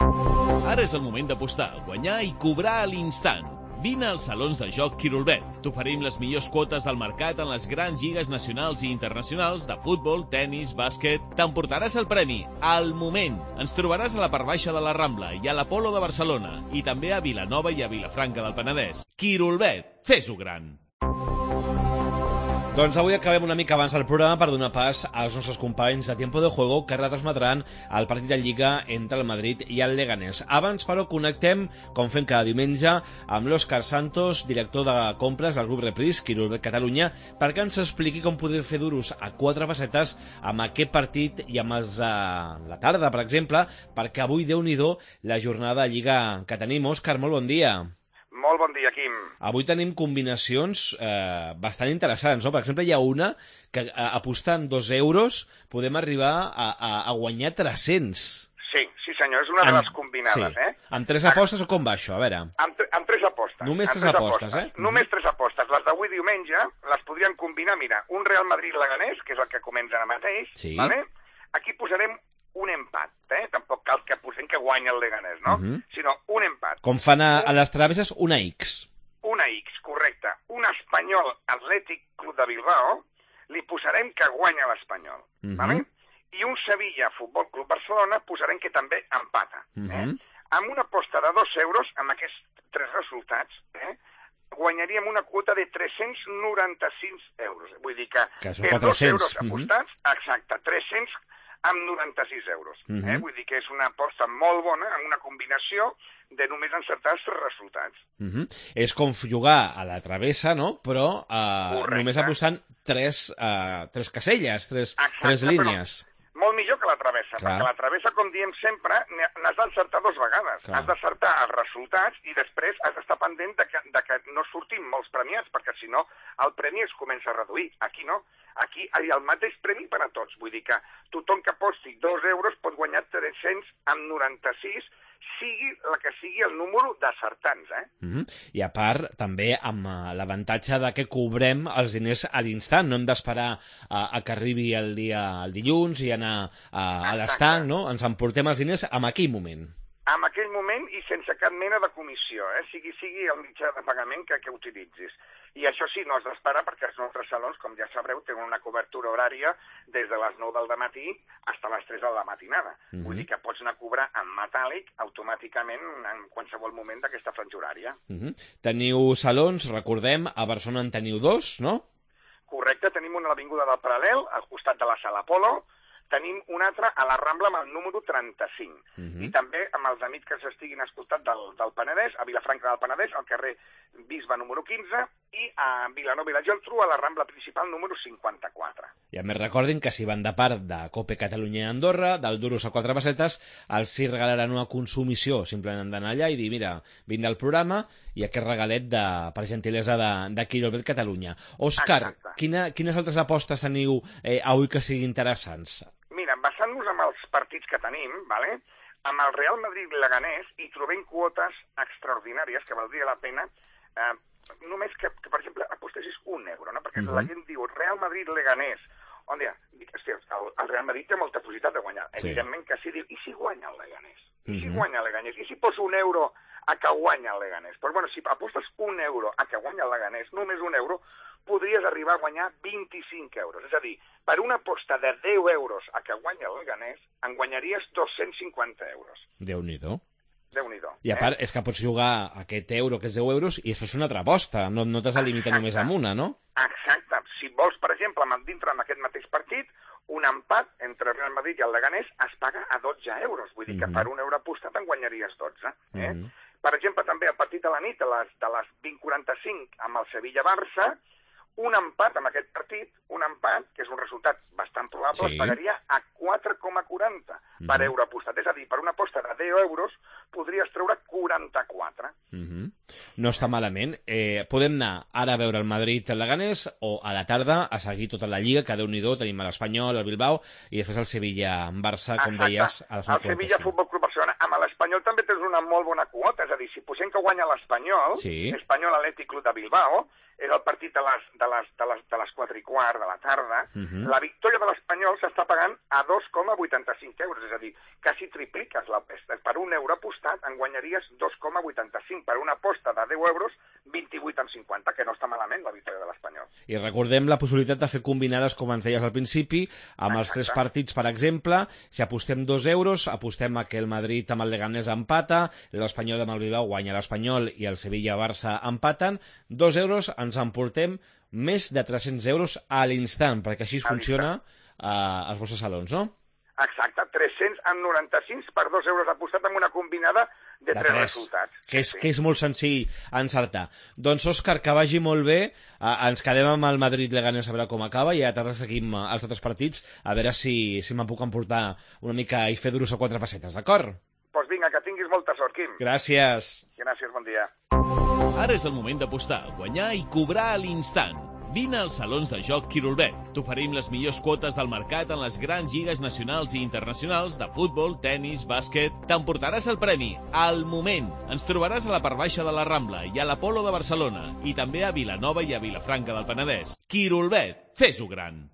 Ara és el moment d'apostar, guanyar i cobrar a l'instant. Vine als salons de joc Quirolbet. T'oferim les millors quotes del mercat en les grans lligues nacionals i internacionals de futbol, tennis, bàsquet. T'emportaràs el premi al moment. Ens trobaràs a la part baixa de la Rambla i a l'Apolo de Barcelona i també a Vilanova i a Vilafranca del Penedès. Quirolbet, fes-ho gran. Doncs avui acabem una mica abans del programa per donar pas als nostres companys de Tiempo de Juego que retransmetran el partit de Lliga entre el Madrid i el Leganés. Abans, però, connectem, com fem cada diumenge, amb l'Òscar Santos, director de compres del grup Repris, Quirolbet Catalunya, perquè ens expliqui com podem fer duros a 4 pessetes amb aquest partit i amb els de la tarda, per exemple, perquè avui, Déu-n'hi-do, la jornada de Lliga que tenim. Òscar, molt bon dia. Molt bon dia, Quim. Avui tenim combinacions bastant interessants, no? Per exemple, hi ha una que apostant 2 euros podem arribar a guanyar 300. Sí senyor, és una de les combinades, sí. Amb 3 apostes o com va això? A veure. Amb 3 apostes. Només 3 apostes, eh? Només 3 apostes. Les d'avui diumenge les podríem combinar, mira, un Real Madrid-Leganés, que és el que comença ara mateix, sí. Vale? Aquí posarem un empat, Tampoc cal que posem que guanya el Leganés, no? Sinó un empat. Com fan a les travesses, una X. Una X, correcte. Un Espanyol Atlètic Club de Bilbao, li posarem que guanya l'Espanyol, vale? I un Sevilla Futbol Club Barcelona posarem que també empata. Amb una aposta de 2 euros, amb aquests 3 resultats, guanyaríem una quota de 396 euros. Vull dir que són per 2 euros 400. apostats, exacte, 300 amb 96 euros. Vull dir que és una aposta molt bona, amb una combinació de només encertar els 3 resultats. És com jugar a la travessa, no? Però només apostant 3 caselles, 3 línies. Molt millor que la travessa, perquè la travessa, com diem sempre, n'has d'encertar 2 vegades. Has d'encertar els resultats i després has d'estar pendent de que no surtin molts premiats, perquè si no el premi es comença a reduir. Aquí no. Aquí hi ha el mateix premi per a tots. Vull dir que tothom que aposti 2 euros pot guanyar 300 amb 96, sigui la que sigui el número d'acertants, I a part, també amb l'avantatge de que cobrem els diners a l'instant, no hem d'esperar a que arribi el dilluns i anar a l'estanc, no? Ens emportem els diners en aquell moment. En aquell moment i sense cap mena de comissió, sigui el mitjà de pagament que utilitzis. I això sí, no has d'esperar perquè els nostres salons, com ja sabreu, tenen una cobertura horària des de les 9 del dematí fins a les 3 de la matinada. Vull dir que pots anar a cobrar en metàl·lic automàticament en qualsevol moment d'aquesta franja horària. Teniu salons, recordem, a Barcelona en teniu 2, no? Correcte, tenim una a l'Avinguda del Paral·lel, al costat de la Sala Apolo. Tenim un altre a la Rambla amb el número 35. I també amb els amics que s'estiguin escoltat del Penedès, a Vilafranca del Penedès, al carrer Bisbe número 15, i a Vilanova i la Geltrú, a la Rambla principal número 54. I a més recordin que si van de part de Cope Catalunya i Andorra, del duros a 4 pessetes, els sí regalaran una consumició. Simplement han d'anar allà i dir, mira, vinc del programa i aquest regalet per gentilesa de Quirolbet Catalunya. Òscar, quines altres apostes teniu avui que siguin interessants? Mira, basant-nos en els partits que tenim, amb el Real Madrid-Leganés hi trobem quotes extraordinàries que valdria la pena només que, per exemple, apostessis 1 euro, no? Perquè la gent diu Real Madrid-Leganés. El Real Madrid té molta possibilitat de guanyar. Evidentment que sí, diu, i si guanya el Leganés? I si guanya el Leganés? I si poso 1 euro a que guanya el Leganés? Però bueno, si apostes 1 euro a que guanya el Leganés, només 1 euro, podries arribar a guanyar 25 euros. És a dir, per una aposta de 10 euros a que guanya el Leganés, en guanyaries 250 euros. Déu-n'hi-do. Déu-n'hi-do. I a part, és que pots jugar aquest euro, aquests 10 euros, i després fer una altra aposta. No t'has de limitar només amb una, no? Exacte. Si vols, per exemple, dintre d'aquest mateix partit, un empat entre el Real Madrid i el Leganés es paga a 12 euros. Vull dir que per 1 euro apostat en guanyaries 12. Per exemple, també el partit de la nit, de les 20:45, amb el Sevilla-Barça, un empat amb aquest partit, que és un resultat bastant probable, es pagaria a 4,40 per euro apostat. És a dir, per una aposta de 10 euros podries treure 44. No està malament. Podem anar ara a veure el Madrid-Leganés o a la tarda a seguir tota la Lliga, que Déu-n'hi-do, tenim l'Espanyol, el Bilbao i després el Sevilla-Barça, com deies. El Sevilla Futbol Club Barcelona. Amb l'Espanyol també tens una molt bona quota, és a dir, si posem que guanya l'Espanyol, Espanyol Atlètic Club de Bilbao, és el partit de les 4:15 de la tarda, la victòria de l'Espanyol s'està pagant a 2,85 euros, és a dir, quasi tripliques l'aposta. Per €1 apostat en guanyaries 2,85. Per una aposta de 10 euros, 28,50, que no està malament la victòria de l'Espanyol. I recordem la possibilitat de fer combinades, com ens deies al principi, amb els 3 partits, per exemple. Si apostem 2 euros, apostem a que el Madrid amb el Leganés empata, l'Espanyol amb el Bilbao guanya l'Espanyol i el Sevilla-Barça empaten. 2 euros ens emportem més de 300 euros a l'instant, perquè així funciona als vostres salons, no? Exacte, 395 per 2 euros apostat amb una combinada de 3 resultats. Que és molt senzill encertar. Doncs, Òscar, que vagi molt bé. Ens quedem amb el Madrid-Leganés a veure com acaba i a tarda seguim els altres partits a veure si me'n puc emportar una mica i fer duros a 4 pessetes, d'acord? Doncs vinga, que tinguis molta sort, Quim. Gràcies. Gràcies, bon dia. Ara és el moment d'apostar, guanyar i cobrar a l'instant. Vine als salons de joc Quirolbet. T'oferim les millors quotes del mercat en les grans lligues nacionals i internacionals de futbol, tennis, bàsquet. T'emportaràs el premi al moment. Ens trobaràs a la part baixa de la Rambla i a l'Apolo de Barcelona i també a Vilanova i a Vilafranca del Penedès. Quirolbet, fes-ho gran.